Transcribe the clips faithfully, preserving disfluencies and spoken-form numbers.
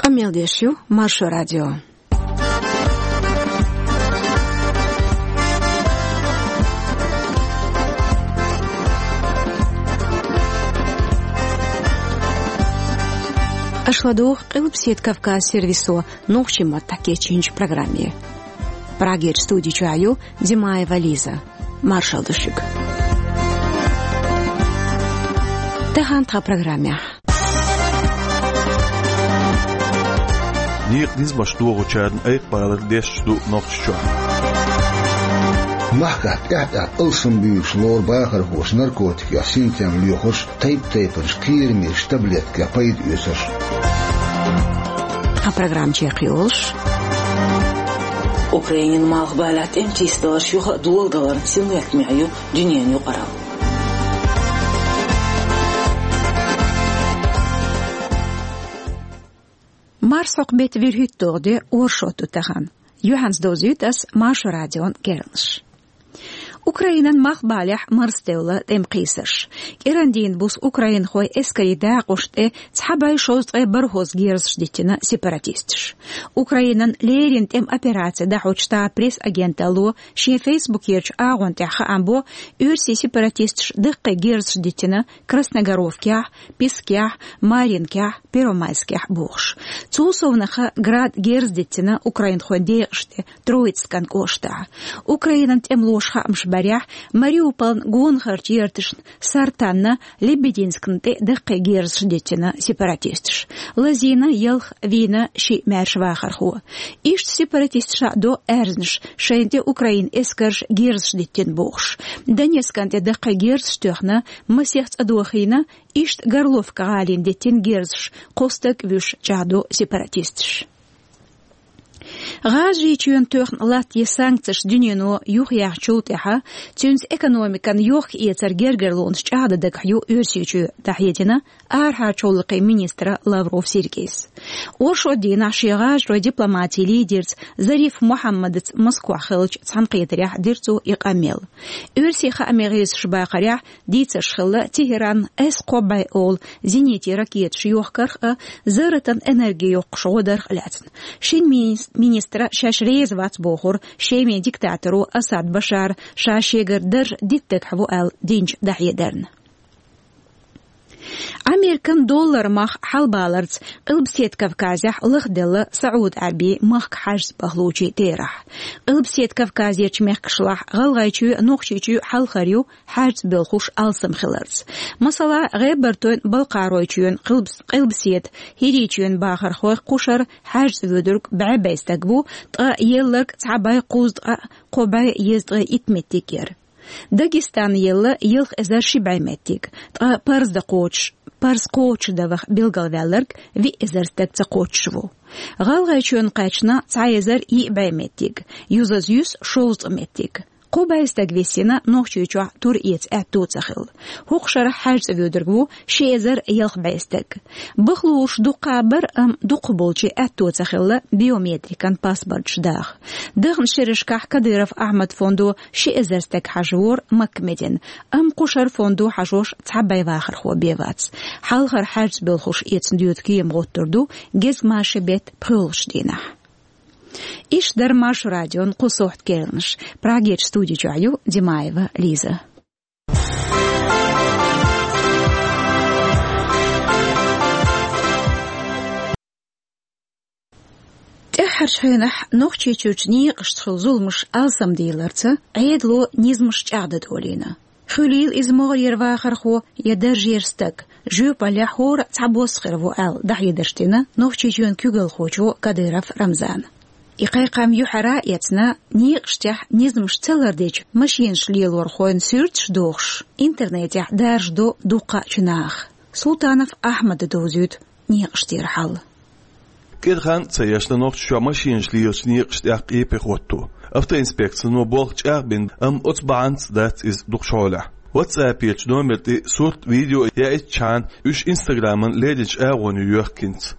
Къамел деш ю Маршо радио. Аша ладугӀу Къилбаседа Кавказ сервисо нохчийн маттахь кечйинчу программе. Прагерчу студи чохь ю Димаева Лиза. Маршалла ду шуьга. Тахана тхан программехь. Некъан низамаш дохучарна айкхабалар дешаш ду Нохчийчохь. Махкахь тӀаьхь-тӀаьхьа алсам буьйцуш лору бахархоша наркотикех синтем лоьхуш, тайп-тайпанчу кхерамечу таблеткех пайда оьцуш. Тхан программа чекхйолуш. Украинан малхбалехь тӀеман чийсадаларш юха а доладаларна синлаттамехь ю дуьненан юкъаралла. Марсхьокху беттан вуьрхӀитталгӀа де, оршот ду тахана. Юьхьанца довзуьйту ас Маршо радион керланаш. Украинан малхбалехь марсадевлла тӀеман кхийсарш. КӀирандийна буса украинхойн эскарийн дакъошна тӀе цхьа бӀе шовзткъе бархӀ герзаш диттина сепаратисташа. Украинан леррина тӀеман операци дӀахьочу Стар пресс-агенталло шен фейсбукерчу агӀонна тӀехь хаам бо, оьрсийн сепаратисташа даккхий герзаш диттина Красногоровкехь, Пискехь, Маринкехь, Первомайскехь бохуш. Цул совнаха Град герз диттина украинхойн декъашна тӀе Троицкан кӀоштахь. Украинан тӀемалоша хаамаш барехь, Мариуполан гонахарчу ярташна Сартанна, Лебединскна тӀе даккхий герзаш диттина сепаратисташа. Лазийна ялх, вийна шиъ маьрша вахархо. Иштта сепаратисташа до аьрзнаш, шайна тӀе украин эскарша герзаш диттина бохуш. Донецкан тӀе даккхий герзаш тоьхна, масех цӀа дохийна, иштта Горловка гӀалина диттина герзаш, кхо стаг вуьйш, чӀагӀдо сепаратисташа. ГӀажарийчоьнна тоьхна латтаде санкцеш дуьнено юхаяьхначул тӀаьхьа, цуьнца экономикан йохка-эцар гергарлонаш чӀагӀдан дагахь ю Оьрсийчоь, дӀахьедина арахьарчу гӀуллакхийн министра Лавров Сергейс. Оршот дийнахь шен гӀажаройн дипломатин лидерца Зариф Мухьаммадца Москвахь хиллачу цхьаьнакхетарехь дира цо и къамел. Оьрсийн хааман гӀирсаша бахарехь, дийцарш хилла Тегеран С кхо бӀе олу зенитийн ракеташ йохкарх а, зарратан энерги йоккхуш гӀо дарх а лаьцна. Шина мини-, министра шаьш реза вац бохура Шеман диктаторо Асад Башара ша шегара дарж дитта дагахь ву аьлла динчу дӀахьедарна. Американ доллар мах хьалабаларца Къилбаседа Кавказехь лахделла СаӀуд-Ӏаьрбийн махка хьаьжцӀа бахлучийн терахь. Къилбаседа Кавказерчу мехкашлахь ГӀалгӀайчоь а, Нохчийчоь а хьалхара ю хьаьжцӀа боьлхуш алсам хиларца. Масала, ГӀебартойн, Балкхаройчоьнан, Къилбас-, Къилбаседа, ХӀирийчоьнан бахархойх кхушара хьаьжцӀа воьдург бӀе бӀе стаг ву, ткъа елларг цхьа бӀе кхузткъа кхо бӀе езткъе итт меттиг яра. Дагестана елла ялх эзар ши бӀе меттиг, ткъа парздан кхочуш, парз кхочушдан ваха билгалваьлларг виъ эзар стаг ца кхоччуш ву. ГӀалгӀайчоьнна кхаьчна цхьа эзар йиъ бӀе меттиг, юзаза юьсу шовзткъа меттиг. Кхо бӀе стаг висина Нохчийчохь тур эца аьтто ца хилла. ХӀокху шарахь хьаьжцӀа воьдург ву ши эзар ялх бӀе стаг. Бахлуш дуккха а бара, амма дукхахболчийн аьтто ца хилла биометрикан паспорташ даха. Дахначу шерашкахь Кадыров Ахьмадан фондо ши эзар стаг хьажавора Маккамедина, амма кхушара фондо хьажош цхьа бӀе вахархо бен вац. Хьалхара хьаьжцӀа боьлхуш эцна доьду кема гӀоттур ду гезгмашин беттан пхоьалгӀачу дийнахь. Иштта дара Маршо радион кху сохьтан керланаш. Прагерчу студи чохь ю Димаева Лиза. ТӀаьххьарчу хенахь Нохчийчуьрчу некъашца хуьлу зуламаш алсамдийларца Ӏедало низамаш чӀагӀдан долийна. Хуьлийла иза могӀарера вахархо я даржера стаг, жоьпаллехь хӀора а цхьабосса хир ву аьлла, дӀахьедарш дина Нохчийчоьнан куьйгалхочо Кадыров Рамзана. И кхайкхам юьхьара а эцна, некъаштехь низамаш ца лардечу машинаш лелорхойн суьрташ а дохуш, интернетехь даржадо дуккха а чу наха. Султанов Ахьмада довзуьйту некъаштера хьал. КӀира хан а ца ешна, Нохчийчохь машинаш лелочу некъаштехь къепе хӀотто. Автоинспекцино болх чӀагӀбина, амма оцу бахьанца дац иза дукхачу хьолехь. WhatsApp-ечу номер тӀе сурт, видео яийтичхьана, уьш Инстаграман лерринчу агӀоне йоьхкинца.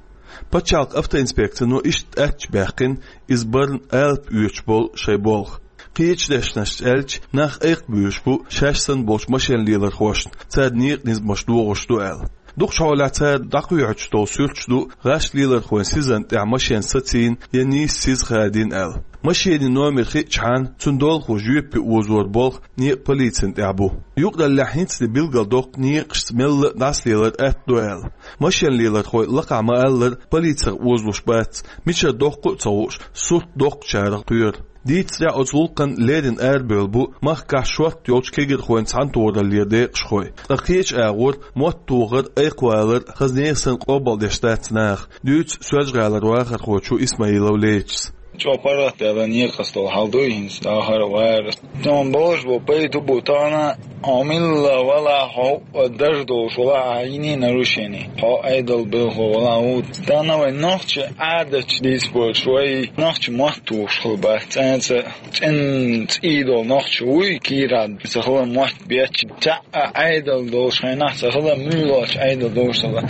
Пачхьалкхан автоинспекцино иштта аьттачу баьккхина иза барна алапа оьцуш болу шайн болх. Кхечу дешнашца аьлча, нах айкхабуьйлуш бу шаьш санна болчу машен лелорхошна, царна некъан низамаш дохуш ду аьлла. Дукхачу хьолехь цара дӀакхоьхьуьйтуш долу суьрташ ду гӀаш лелархойн сизана тӀехь машен сацийна я нийса сиза хадийна аьлла. Машенийн номер хиъчхьана, цуьнан долахо жоьпе озор болх некъан полицина тӀехь бу. Юкъараллехь хӀинца де билгалдоккху некъашца мелла а дӀасалелар атта ду аьлла. Машен лелархой лакхахь ма-аллара, полицех озалуш бац, мичара доккху а ца хууш, сурт доккхучарах кхоьру. Дийцарехь, оцу гӀуллакхана леррина арабевлла бу махкахь шортта йолчу кегирхойн цхьаьнатохараллера декъашхой. Ткъа кхечу агӀор мотт тохар, айкхвалар хаза нехан санна къобалдеш дац наха, дуьйцу Соьлжа-ГӀалара вахархочо Исмаилов Лечис. ЧӀогӀа паргӀатделла некъаца долу хьал ду хӀинца, дахар а вара. Тхуна бохуш бу, пайда бу тахана, хьо милла валахь, хьо хӀуъа дажа долуш валахь, ахьа йиний нарушение, хьо Ӏедалан белхало валахь ву. Тахана вайн нохчийн Ӏадатчу дийца болчу вай нохчо мотт тухуш хила бац. ЦӀенца, цӀена цӀий долу нохчо вуй, кийрахь ца хилла мотт бетташ, цхьа а Ӏедал долуш хенахь, ца хилла муьйлахь Ӏедал долуш ца хилла.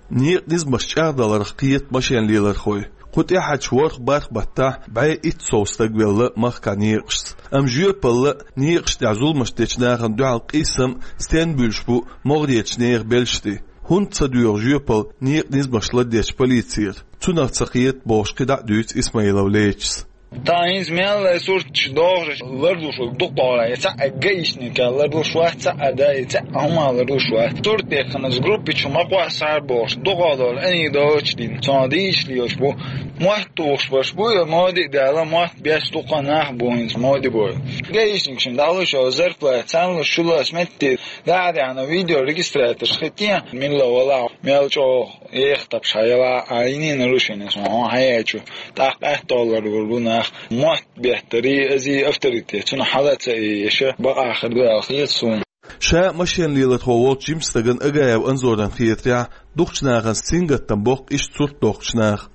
Некъан низамаш чӀагӀдаларх кхета машен лелархой. Кху тӀаьхьарчу ворхӀ-бархӀ баттахь бӀе итт сов стаг велла махкахь некъашца. Амма жоьпалла а, некъаш тӀехь зуламаш дечу нахана дуьхьал къийсам а стенна буьлуш бу могӀарерчу нехан белшаш тӀе? ХӀунда ца доьгӀу жоьпалла некъан низамаш ладоьгӀучу полицера? Цунах ца кхета бохуш кхидӀа а дуьйцу Исмаилов Лечис. Тахана хӀинца мел а сурташ дохуш ларлуш ву дукха гӀала, и цхьа а гаишник ларлуш вац, цхьа а да, и цхьа а хӀума ларлуш вац. Сурт дехкина группа чу ма кхоссахьара бохуш, дукха долу анекдоташ дина, цунах дийшалуш бу. Мотт тухуш берш бу, я моди а даьлла, мотт беш дукха нах бу хӀинца моди бой. Гаишник шин дӀалуш йолу зарплата, царна луш шу лас метте, да а даьхьна видеорегистраторш хи тен, милла вала, мел чӀогӀа еха тапаш хьаяла, а йиний нарушение, сон хьан хьаяьчу, тӀаккха атта оллар вур бу нах, мотт беттарий, азий авторитет, цунна хьала ца ийша, бакъахар ду аьлла хета суна. Ша машен лелархо волчу жимчу стагана Агаев Анзоран хетарехь, дукхачу нахана сингаттам боккху иштта сурт дохкучу наха.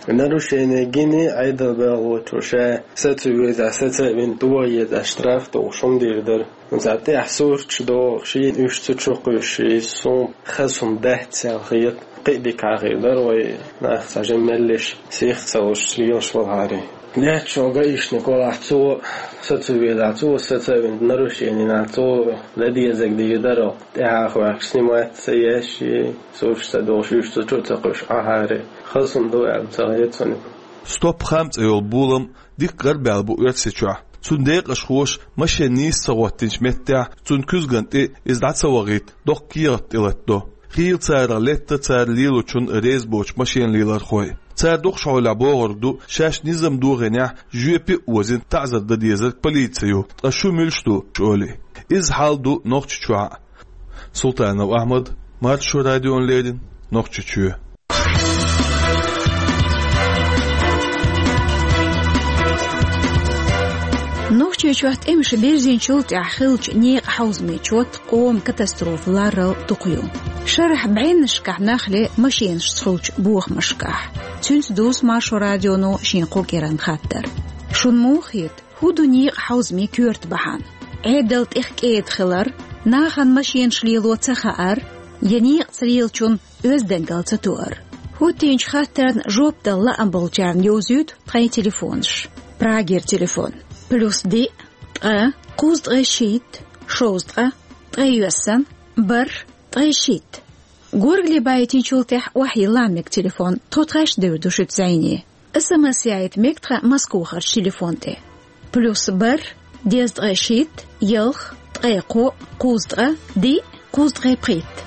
Нарушение гиний Ӏедал белхалочо ша, са ца веза, са ца вина, тоха еза, штраф тухуш хӀума дийр дара. Цхьа тӀехь сурташ дохуш, шена уьш цу чу кхуьссуш, суна хаза хӀума дац аьлла хета. Кхин а дика хир дара вай, нах цхьа жимма меллиш, сих ца луш, лелаш валахьара. Лаьтташ волу гаишник валахь, цо са ца везахь, цо са ца вина, нарушение нах, цо дан дезарг дийр дара, тӀаьхьа хоьхкуш снимать ца еш, сурташ ца дохуш, уьш цу чу ца кхуьссуш Ӏахьара. Хаза хӀума ду аьлла ца хета суна. Стоп-хам цӀе йолу болам дикка гӀарабаьлла бу Оьрсийчохь. Цуьнан декъашхоша машен нийса ца хӀоттийначу меттехь, цуьнан куьзгана тӀе иза дӀа ца вахийта, доккха кехат тӀелатадо. Хийла царах летта цара лелочунна реза боцу машен лелархой. Цара дукхачу хьолехь бохург ду, шаьш низам дохийнехь, жоьпе а озийна, таӀзар дан дезарг полици ю, ткъа шу муьлш ду, олий. Иза хьал ду Нохчийчохь а. Султанов Ахьмад, Маршо радиона леррина, Нохчийчоь. Нохчийчохь тӀемаш бирзинчул тӀаьхьа хиллачу некъан хьовзамийн чот къоман катастрофа ларал дукха ю. Шарахь бӀеннашкахь нах ле машенашца хуьлучу бохамашкахь. Цуьнца дузу Маршо радионо шен кху кӀиранан хаттар. Шуна муха хета, хӀун ду некъан хьовзамийн коьрта бахьана? Ӏедал тӀех кӀеда хилар, нахана машенаш лело ца хаар, я некъаца лелачун оьздангалла ца тоар? ХӀоттийначу хаттарна жоп дала лаам болчарна йовзуьйту тхайн телефонаш. Прагера телефон: плюс диъ, ткъа, кхузткъе шийтта, шовзткъа, ткъе йоьссан, бархӀ, ткъе шийтта. Горгали байтинчул тӀаьхьа охьайилла мега телефон, тхо тхаьш девр ду шуьца зӀене. СМС яйта мега тхан Москвахарчу телефон тӀе. Плюс бархӀ, дезткъе шийтта, ялх, ткъе кхоъ, кхузткъа, диъ, кхузткъе пхийтта.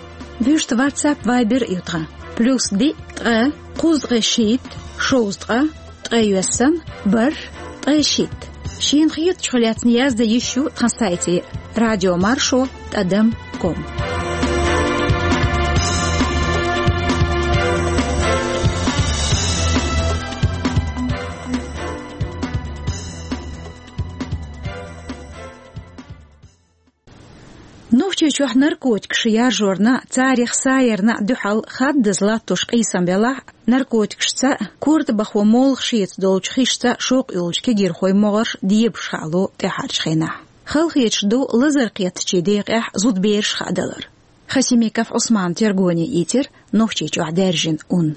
Вуьшта WhatsApp, Viber а ю тхан. Плюс диъ, ткъа, кхузткъе шийтта, шовзткъа, ткъе йоьссан, бархӀ, ткъе шийтта. Шена хетачух лаьцна яздан йиш ю тхан сайте радиомаршо тӀадам ком. Нохчийчохь наркотикаш яржорна а, царех саярна а дуьхьал хаддаза латтош къийсам белахь а, наркотикашца а, корта бахо молха шеца долчу хишца а шок йолчу кегирхойн могӀарш дебаш хаало тӀаьхьарчу хенахь. Халахеташ ду лазар кхеттачийн декъехь зудабераш хаадалар. Хасимиков Ӏусмана тергоне ийцира Нохчийчохь даьржина ун.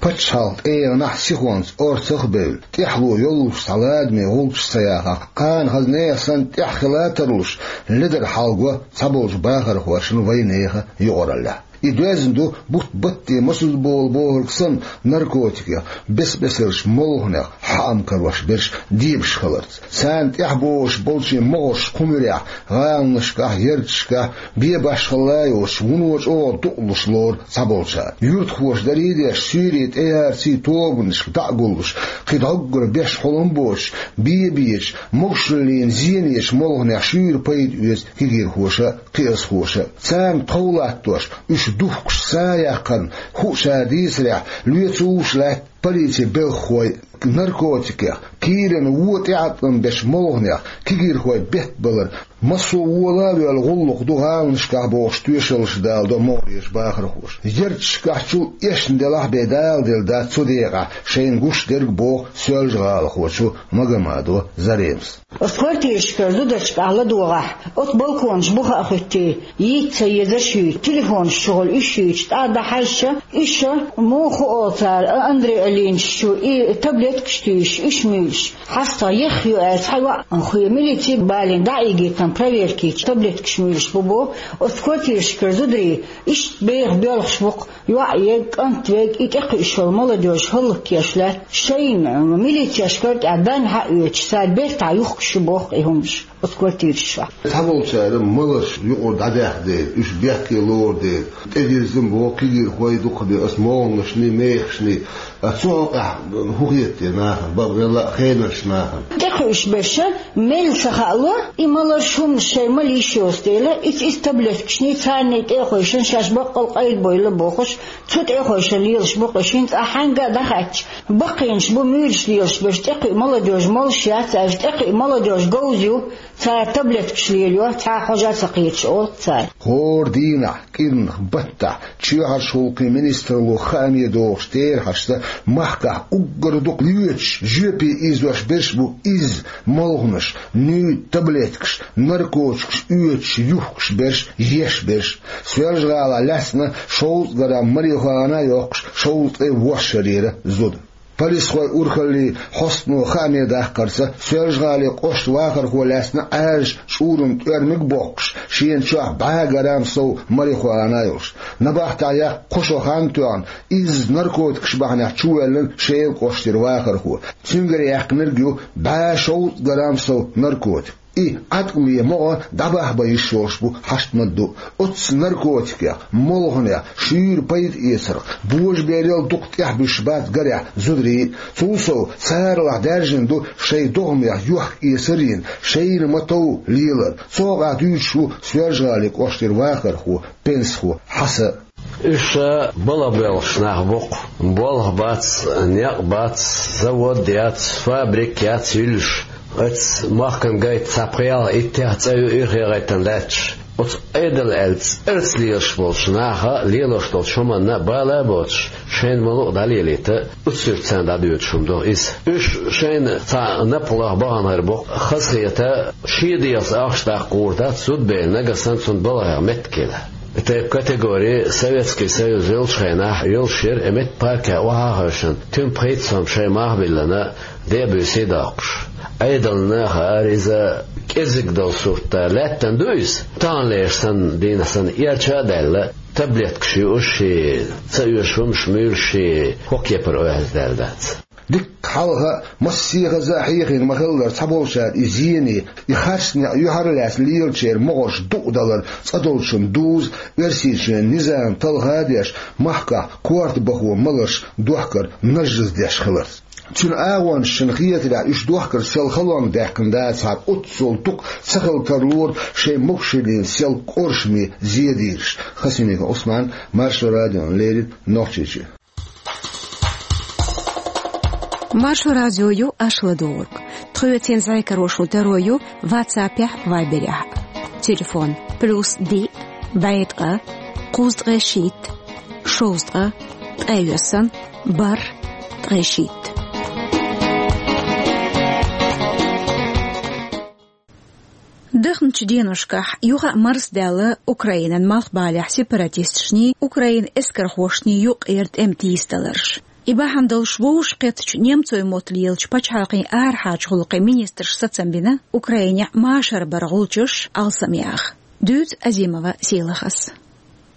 Пачхьалкх тӀеранахь сихонца орцах а бевлла, тӀаьхьало йоллуш цхьа ладаме гӀулчаш ца яхахь, кхана хаза нехан санна тӀехь хила а тарлуш, ледара хьалаго цхьаболчу бахархошна вайнехан юкъараллехь. И доьзна ду бутт-батте масаза болу бохург санна наркотикех, бес-бесарчу молханех хьаам карош берш дебаш хиларца. Царна тӀехь богӀуш болчийн могӀарш кху муьрехь гӀаланашкахь, ярташкахь бен башхалла йоцуш, вуно чӀогӀа дукъалуш лору цхьаболчара. Юьртахоша дарий а деш, суьйре тӀеярций тобанашка дӀа а гуллуш, кхин дӀоггара беш хьулам боцуш, бен бечу, могушаллина зенечу молханех шуьйра пайда оьцу кегийрхоша а, кхиазхоша а. Царна тхов латтош, уьш духкуш са яккхарна хӀуъа ша дийцарехь, лоьцуш лаьтта полицин белхахой. Наркотикех, кийрана вон тӀеӀаткъам бечу молханех кегийрхой беттабалар массо а вола а воьлла гӀуллакх ду гӀаланашкахь бохуш тоьшаллаш даладо могӀарерчу бахархоша. Ярташкахь чул эшна делахь а бен даладелла дац цу декъехь шайна гуш дерг, боху Соьлжа-ГӀалахочо Магомадова Заремас. Оцу квартирашкара зударшкахь ладогӀахь, оцу балконаш буха а хӀуьттий, йийца ца езаш юй, телефонаш чухула уьш юйчу тӀе а дӀахьаьжча, уьш, муха олу цара, а, Андрей Алиновича и таблеткаш туьйсуш, уьш муьйлуш. ХьастагӀ, ехха ю аьлла, цхьа йоӀ хуьлу, милици балийна дӀа а ийгийтина, проверка йича, таблеткаш муьйлуш бу боху. Оцу квартирашкара зударий иштта беха боьлхуш бу-кх. ЙоӀ верг, кӀант верг, и тӀекхуьуш йолу молодёжь хӀаллакьхуьлуш лаьтта, шайна милицешкара тӀехь данна хьаоьцуш, цара бертахь юхкуш ю боху и хӀуманаш оцу квартирашкахь. Цхьаболчара маларш юкъара дӀадаьхна дела, уьш бехке лору дела, тӀедирзина боху кегийрхой дукхахбе оцу молханашний, мехашний. А цу хьокъехь хӀун хета те нахана, бакъ велла а хенарчу нахана? ТӀекхуьуш берш мелла ца хаало, и маларш, хӀуманаш шайн мала йиш йоцу дела, иза, иза таблеткашний, царний тӀе а хевшина, шаьш баккъал къайладойла бохуш, цу тӀе а хевшина лелаш бу-кх уьш. ХӀинца ахь хьаьнга а дӀахаьттича, баккхийнаш бу муьйлуш лелаш берш, тӀекхуьу молодёжь молуш яц аьлча, тӀекхуьу молодёжь говза ю, цара таблеткаш лелайо, цхьа хьожа а ца кхеташ, олу-кх цара. ХӀора дийнахь, кӀирнах, баттахь, чоьхьарчу гӀуллакхийн министралло хааме дохуш терахьашца, махкахь уггар дукха лоьцуш, жоьпе ийзош берш бу изза молханаш, нуьйда таблеткаш, наркотикаш оьцуш, юхкуш берш, еш берш. Соьлжа-ГӀалахь лаьцна шовзткъа грамм марихуана а йоккхуш, шовзткъе ворхӀ шарера зуда. Полисхойн урхаллин хьостано хааме даккхарца, Соьлжа-ГӀалин кӀоштан вахархо лаьцна Ӏаьржачу чӀуран тӀоьрмиг а боккхуш, шена чохь бӀе грамм сов марихуана а йолуш. Набахтехь яккха кхо шо хан а тоьхна, изза наркотикаш бахьанехь чувоьллина Шелан кӀоштара вахархо. Цуьнгара яьккхинарг ю бӀе шовзткъа грамм сов наркотик. И Ӏаткъаме могӀа дӀабахьа бан йиш йолуш бу хьашт ма-дду. Оццу наркотикех, молханех шуьйра пайда эцарх, божаберал дукха тӀехь буьсуш бац гарехь зударий а. Цул сов, царалахь даьржина ду шайн догӀмех йохка-эцар а йина, шайна ма-тов лелар. Цу хьокъехь дуьйцуш ву Соьлжа-ГӀалин кӀоштара вахархо, пенсахо Хьасан. Уьш балха боьлхуш нах бу-кх. Болх бац, некъ бац, завод яц, фабрика яц юьллуш. Оцу махкана гайта цхьа пхи-итт цӀа ю ирхъе гӀайтина лаьтташ. Оцу Ӏедал аьлла цӀарца лелаш болчу наха лелош долчу хӀуманна бала а боцуш, шайна ма-луъу дӀалелийта, оццуьра царна дӀадоьдуш хӀума ду иза. Уьш шайна цхьа напха лаха баханхьара бу-кх, хазахета, шен дегӀаца ахча даккха гӀур дац зудабер, нагахь санна цунна балхех меттиг хила. И тайпа категори Советский Союз йолчу хенахь йолуш яра, и метта паркехь охьа а хевшина, туьма пхийтта сом шайн мах а биллина, де а буьйсий а доккхуш. Ӏедална хаар иза кӀезиг долу сурт, лаьттана ду иза. Таханлерчу санна, дийнахь санна, эрча а даьлла, таблеткаш юуш, ца оьшу хӀуманаш муьйлуш, хӀокху кепара оьхьаздаьлла дац. Дикка хьалха а, массехаза а хьехийна ма-хиллара, цхьаболчара и зене, и харц некъ юьхьарлаьцна лелачеран могӀарш дукъадалар цӀа долчунна дузу Оьрсийчоьнан низам талха а деш, махкахь корта бахо маларш дохкар нажжаздеш хиларца. Цуьнан агӀончашна хетарехь, уьш дохкар сел халонга даьккхина дацахьара, оццул дукха ца хила тарлора шайн могушаллина сел кӀоршаме зен дийраш. Хасимиков Ӏусман, Маршо радиона леррина, Нохчийчоь. Маршо радио ю аша ладугӀург. Тхоьца зӀе карош ву таро ю WhatsApp-ехь, Viber-ехь. Телефон: плюс диъ, бӀе ткъа, кхузткъе шийтта, шовзткъа, ткъе йоьсна, бархӀ, ткъе шийтта. Дахначу деношкахь юха а марсадаьлла Украинан малхбалехь сепаратисташний, Украинан эскархошний юккъера тӀеман тийсадаларш. И бахьана долуш вовшахкхеттачу немцойн мотт лелачу пачхьалкхийн арахьарчу гӀуллакхийн министрша сацам бина Украинехь машар баран гӀулчаш алсамъяха. Дуьйцу Азимова Сийлахьас.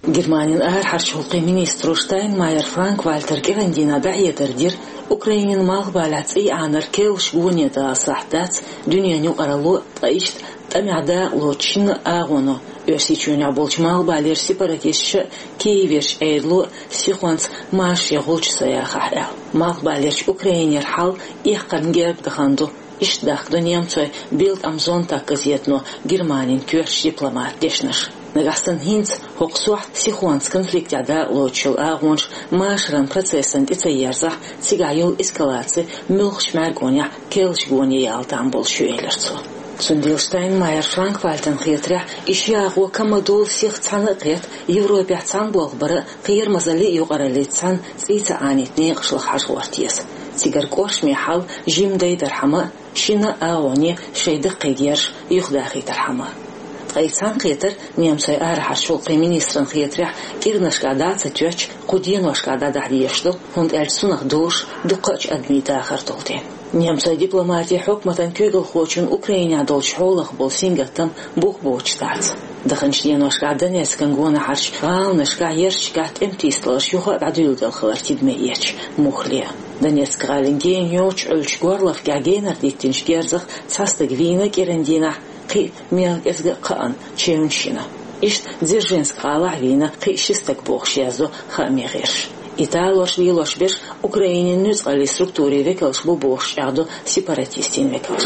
Германин арахьарчу гӀуллакхийн министро Штайнмайер Франк-Вальтера кӀиран дийнахь дӀахьедар дира, Украинин малхбалехь цӀий Ӏанар керлачу гоне дала сахьт дац дуьненан юкъаралло, ткъа иштта тӀамехь дакъалоцучу шина агӀоно, Оьрсийчоьнехь болчу малхбалера сепаратисташа а, Киеверчу Ӏедало а сихонца машаре гӀулч ца яхахь аьлла. Малхбалерчу Украинера хьал эккхарна герга дахана ду, иштта дахкадо немцойн Bild am Sonntag газетано Германин коьртачу дипломатан дешнаш. Нагахь санна хӀинца хӀокху сохьта сихонца конфликтехь дакъалоцуш йолу агӀонаш машаран процессана тӀе ца ерзахь, цигахь йолу эскалаци муьлххачу мӀаьргонехь керлачу гоне яла там болуш ю, элира цо. Цундела Штайнмайер Франк-Вальтана хетарехь, и ши агӀо ка ма-долу сиха цхьаьна а кхетта, Европехь цхьаьна болх бара а, кхерамазаллин а юкъараллица цхьаьна цӀий ца Ӏанийтина некъаш лаха хьажа гӀорта еза. Цигара кӀоршаме хьал жимма дайдархьама а, шина агӀоне шайн даккхий герзаш юхадахийтархьама а. Ткъа и цхьаьнакхетар, немцойн арахьарчу гӀуллакхийн министрана хетарехь, кӀиранашкахь дӀа а ца тоьттуш, кху деношкахь дӀадахьа дезаш ду, хӀунда аьлча цунах дозуш дуккха а адамийн дахар долу дела. Немцойн дипломатин хьукматан куьйгалхочунна Украинехь долчу хьолах болу сингаттам бух боцуш дац. Даханчу деношкахь Донецкан гонахьарчу гӀаланашкахь, ярташкахь тӀеман тийсадаларш юха а дӀадуьйладелла хилар тидаме эцча, муххале а. Донецк-гӀалин гена йоцчу Ӏуьллучу горлахкехь генара диттинчу герзах цхьа стаг вийна кӀиран дийнахь, кхин а мел кӀезга а кхаъна, чевнаш йина. Иштта Дзержинск гӀалахь вийна кхин а ши стаг бохуш яздо хаамийн гӀирсаша. И талорш лелош берш Украинин нуьцкъаллин структурийн векалш бу бохуш чӀагӀдо сепаратистийн векалш.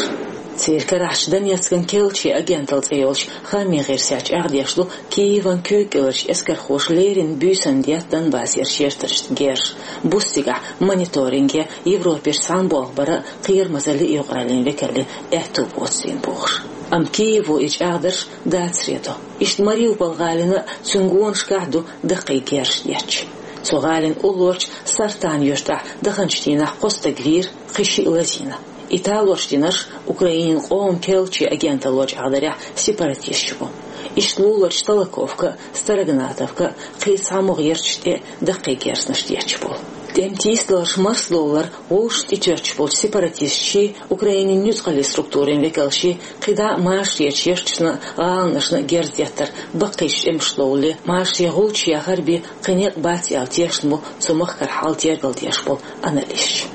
Церан карахьчу Донецкан керлачийн агенталла цӀе йолчу хаамийн гӀирсехь чӀагӀдеш ду, Киеван куьйга кӀеларчу эскархоша леррина буьйсанна детта Донбассерчу ярташна герзаш, буса цигахь мониторинге, Европерчу цхьаьна болх бара а, кхерамазаллин а юкъараллин векаллин аьтту боцийна бохуш. Амма Киево и чӀагӀдарш дацаре до. Иштта Мариуполь гӀалина а, цуьнан гонашкахь а ду даккхий герзаш детташ. Цу гӀалин уллорчу Сартан юьртахь даханчу дийнахь кхо стаг вийра, кхин шиъ лазийна. И талорш динарш Украинин къоман керлачийн агенталло чӀагӀдарехь сепаратисташ бу. Иштта луларчу Толоковка а, Строгонатовка а, кхин а цхьа могӀа ярташ тӀе а даккхий герзанаш детташ болу. ТӀеман тийсадаларш марсадовлар гӀулчаш тӀетоьттуш болчу сепаратисташший, Украинин нуьцкъаллин структурийн векалшший кхидӀа а машаречу ярташна а, гӀаланашна а герз деттар баккхийчу тӀемаш ловлале, машаре гӀулч яхар бен кхин некъ бац аьлла тешна бу цу махкара хьал тергалдеш болу аналисташ.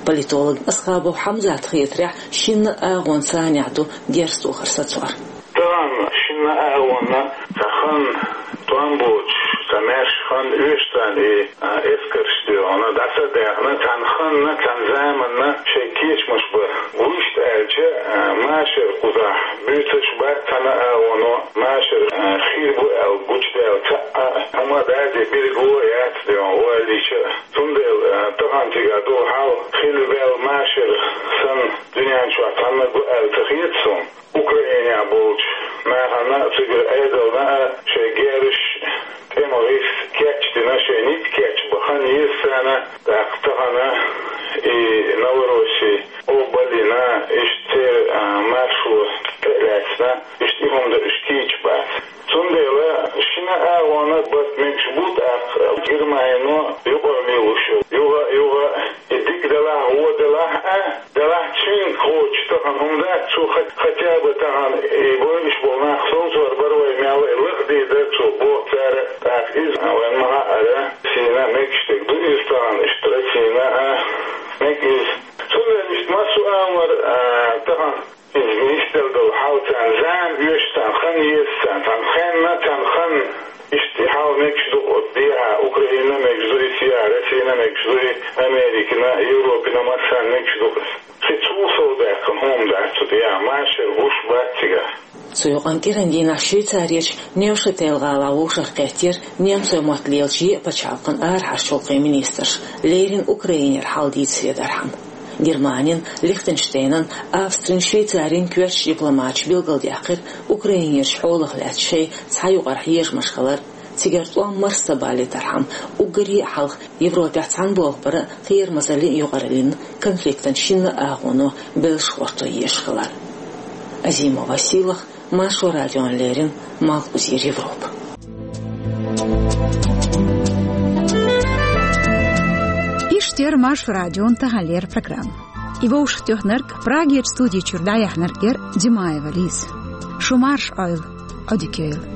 Политолог Асхабов Хьамзатан хетарехь, шинна а агӀонан цӀийнехь ду герз тохар сацор. Тахана шинна а агӀонан цхьа хан тӀом боцуш, цхьа маьрша хан оьшуш царна и, а, эскарш доьгӀна, дӀаса а даьхна, цхьана ханна, цхьана заманна шайн кечамаш бан. Вуьшта аьлча, а, машар кхузахь буьйцуш бац цхьана а агӀоно, машар, а, хир бу аьлла гучудаьлла цхьа а хӀума дац, берриге яц доьгӀна валлийча а. Цундела, а, тахана цигахь долу хьал хилла ваьлла машар санна дуьнен чохь цхьаннаг ву аьлла ца хета суна. Украинехь болчу нахана а, цигара Ӏедална а шайн герзаш, тӀеман гӀирс кечдина, шайн ницкъ кечбан хан еза царна, тӀаккха тахана и Новороссия къобалйина, иштта церан, а, маршо тӀе а лаьцна, иштта и хӀума дан уьш кийча бац. Цундела шина а агӀонан барт мегаш бу тӀаккха Германино юкъара лелош йолу. Юха а, юха а и дика делахь а, вон делахь а, делахь а цуьнга кхочуш тахана хӀума дац, цо хат-, хатя бы тахана и бойуш болу нах совцор бара вай мел а, и лахде дара цо, боху цара, тӀаккха иза вайн ма-хаъара, сийна мегаш дерг ду иза тахана, иштта Россина а мега иза. Цундела иштта массо а амал, а, тахана иза нисделла долу хьал царна зама оьшу, царна хан еза, царна цхьана хенна, цхьана ханна иштта и хьал мегаш ду оцу дехьа, Украинина мегаш ду и, цигахь Россина мегаш ду и, Америкина, Европина массарна мегаш ду. Кхин цул сов даьккхина хӀума дац цу дехьа, машар гуш бац цигахь. Цу юкъанна кӀиран дийнахь Швейцарерчу Невшател гӀалахь вовшахкхеттера немцойн мотт лелачу еа пачхьалкхан арахьарчу гӀуллакхийн министраш, леррина Украинера хьал дийцаре дархьама. Германин, Лихтенштейнан, Австрин, Швейцарин коьртачу дипломаташа билгалдаьккхира Украинерчу хьолах лаьцна шайн цхьа юкъара хьежамаш хилар, цигара тӀом марса ца балийтархьама, уггаре а хьалха Европехь цхьана болх бара а, кхерамазаллин а юкъараллин а конфликтан шинна а агӀоно белшаш гӀорто езаш хилар. Азимова Сийлаха, Маршо радиона леррина, Малхбузера Европа. Иштта яра Маршо радион таханлера программа. И вовшахтоьхнарг, Прагерчу студи чуьра дӀаяьхьнарг яра Димаева Лиза. Шу марша Ӏойла, Ӏодика йойла.